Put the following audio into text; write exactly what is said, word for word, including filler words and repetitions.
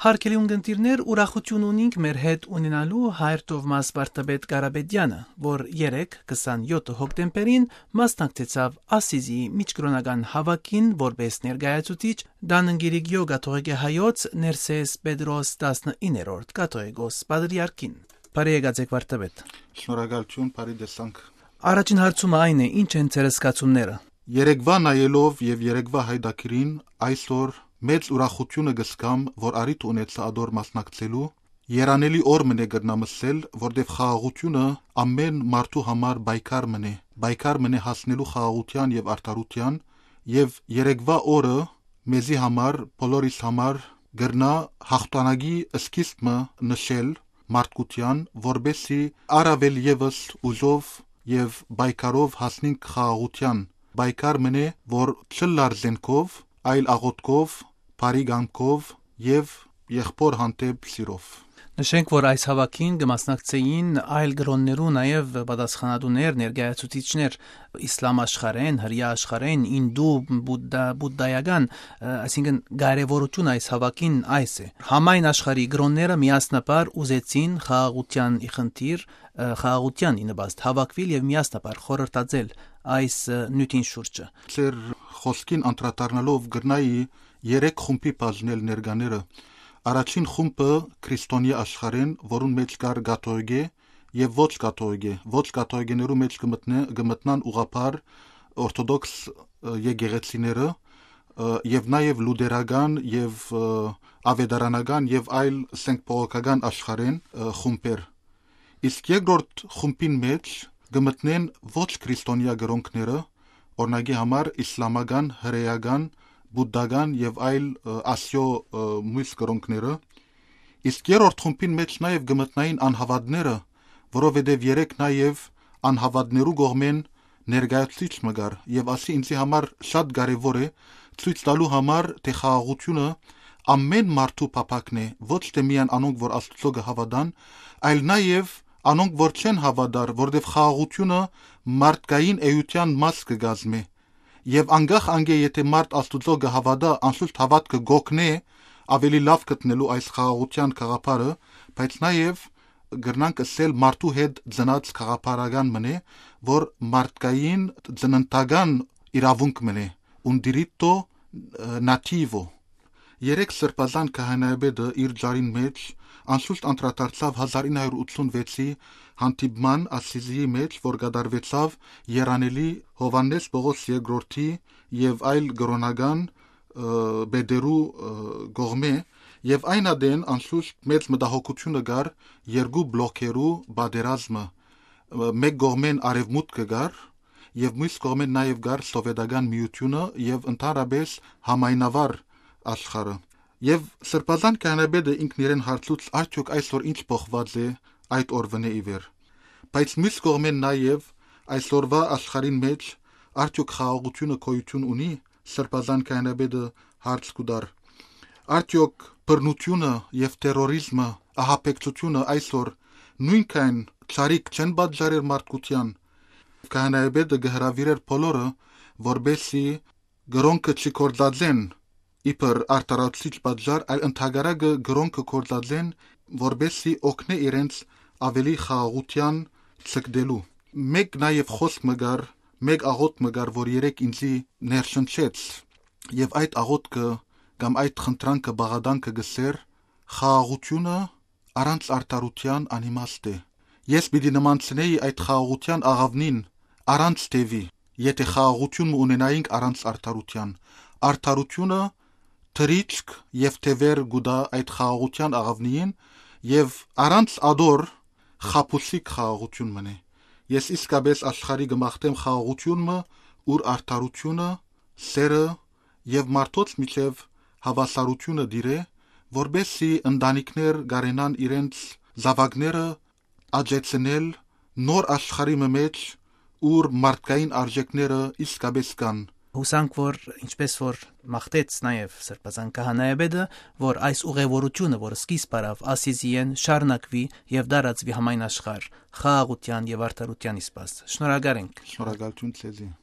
Հարգելի ունգընտիրներ, ուրախութիւն ունինք մեր հետ ունենալու հայր Թովմաս վարդապետ Կարապետեանը, որ երեկ, քսանեօթ հոկտեմբերին, մասնակցեցաւ Ասիզի միջկրօնական հաւաքին որպէս ներկայացուցիչ, Դաննգիրիգիո կաթողիկէ հայոց Ներսես Պետրոս տասնիններորդ կաթողիկոս պատրիարքին։ Բարի եկած եք, վարդապետ։ Շնորհակալություն, բարի տեսանք։ Առաջին հարցումը այն է, ի՞նչ են ձեր զգացումները։ Երեգուայ նայելով եւ երեգուայ յայտագիրին, այսօր մեծ ուրախութիւնը կ'զգամ, որ առիթ ունեցայ ատոր մասնակցելու։ Երանելի օր մըն է կրնամ ըսել, որտեւ խաղաղութիւնը ամէն մարդու համար պայքար մըն է, պայքար մըն է հասնելու խաղաղութեան եւ արդարութեան, եւ երեգուայ օրը մեզի համար, բոլորիս համար կրնայ յաղթանակի սկիզբ մը նշել մարդկութեան, որպէս զի առաւել եւս ուժով եւ պայքարով հասնինք խաղաղութեան։ Պայքար մըն է, որ չըլլար զէնքով, այլ աղօթքով, բարի կամքով եւ եղբօր հանդէպ սիրով։ Նշենք, որ այս հաւաքին կը մասնակցէին այլ կրօններու նաեւ պատասխանատուներ, ներկայացուցիչներ, իսլամ աշխարհէն, հրեայ աշխարհէն, ինդու, բուդդա-, բուդդայական, ը, այսինքն կարեւորութիւն այս հաւաքին այս է։ Համայն աշխարհի կրօնները միասնաբար ուզեցին խաղաղութեան ի խնդիր, ը, խաղաղութեան ի նպաստ հաւաքուիլ եւ միասնաբար խորհրդածել այս, ը, նիւթին շուրջը։ Ձեր խօսքին անդրադառնալով կրնայի երեք խումբի բաժնել ներկաները։ Առաջին խումբը քրիստոնեայ աշխարհէն, որուն մէջ կար կաթողիկէ եւ ոչ կաթողիկէ։ Ոչ կաթողիկեներու մէջ կը մտնե-, կը մտնան ուղղափառ օրթոդոքս, ը, եկեղեցիները, ը, եւ նաեւ լուտերական եւ, ը, ավետարանական եւ այլ սենգ բողոքական աշխարհէն, ը, խումբեր։ Իսկ երկրորդ խումբին մէջ կը մտնեն ոչ քրիստոնեայ կրօնքները, օրինակի համար իսլամական, հրեական, բուդդական եւ այլ, ը, Ասիոյ, ը, մոյս կրօնքները։ Իսկ երրորդ խումբին մէջ նաեւ կը մտնային անհաւատները, որովհետեւ երեկ նաեւ անհաւատներու կողմէն ներկայացուցիչ մը կար եւ ասի ինձի համար շատ կարեւոր է ցոյց տալու համար, թէ խաղաղութիւնը ամէն մարդու փափաքն է, ոչ թէ միայն անոնք, որ Աստուծոյ կը հաւատան, այլ նաեւ անոնք, որ չեն հաւատար, որտեւ խաղաղութիւնը մարդկային էութեան մաս կը կազմէ։ Եւ անկախ անկէ եթէ մարդ Աստուծոյ կը հաւատայ, անշուշտ հաւատքը կ'օգնէ ավելի լաւ գտնելու այս խաղաղութեան գաղափարը, բայց նաեւ կրնանք ըսել մարդու հետ ծնած գաղափարական մըն է, որ մարդկային ծննդական իրաւունք մըն է, un diritto, ը, nativo։ Երեկ Սրբազան քահանայապետը իր ճառին մէջ անշուշտ անդրադարձաւ հազար ինը հարիւր ութսունվեցի հանդիպման Ասիզիի մէջ, որ կատարուեցաւ երանելի Յովհաննէս Պողոս երկրորդի եւ այլ կրօնական, ը, պետերու, ը, կողմէ, եւ այն ատեն անշուշտ մեծ մտահոգութիւնը կար երկու բլոքերու պատերազմը, ը, մէկ կողմէն արեւմուտքը կար, եւ մյուս կողմէն նաեւ կար սովետական միութիւնը եւ ընդհանրապէս համայնավար աշխարհը։ Եւ Սրբազան քահանայապետը ինքն իրեն հարցուց, արդեօք այսօր ինչ փոխուած է այդ օրուընէ ի վեր։ Բայց մյուս կողմէն նաեւ այսօրուա աշխարհին մէջ արդեօք խաղաղութիւնը գոյութիւն ունի, Սրբազան քահանայապետը հարց կու տար։ Արդեօք բռնութիւնը եւ տերորիզմը, ահաբեկչութիւնը այսօր նոյնքան չարիք չեն պատճառեր մարդկութեան։ Քահանայապետը կը հրաւիրէր բոլորը, որպէսզի կրօնքը չգործածեն իբր արդարացուցիչ պատճառ, այլ ընդհակառակը կրօնքը գործածեն, որպէսզի օգնէ իրենց ավելի խաղաղութեան ձգտելու։ Մէկ նաեւ խօսք մը կար, մէկ աղօթք մը կար, որ երեկ ինձի ներշնչեց, եւ այդ աղօթքը կամ այդ խնդրանքը, բաղատանքը կ'ըսէր. «Խաղաղութիւնը առանց արդարութեան անիմաստ է»։ Ես պիտի նմանցնէի այդ խաղաղութեան աղաւնին առանց թեւի, եթէ խաղաղութիւն մը ունենայինք առանց արդարութեան։ Արդարութիւնը թռիչք եւ թեւեր կու տայ այդ խաղաղութեան աղաւնին, եւ առանց ատոր խաբուսիկ խաղաղութիւն մըն է։ Ես իսկապէս աշխարհի կը մաղթեմ խաղաղութիւն մը, ուր արդարութիւնը, սէրը եւ մարդոց միջեւ հաւասարութիւնը տիրէ, որպէսզի ընտանիքներ կարենան իրենց զաւակները աճեցնել նոր աշխարհի մը մէջ, ուր մարդկային արժեքները իսկապէս կան։ Յուսանք, որ ինչպես որ մաղթեց նաեւ Սրբազան քահանայապետը, որ այս ուղևորութիւնը, որ սկիզբ առաւ Ասիզիէն, շարունակուի եւ տարածուի համայն աշխարհ, խաղաղութեան եւ արդարութեան ի սպաս։ Շնորհակալ ենք։ Շնորհակալություն ձեզի։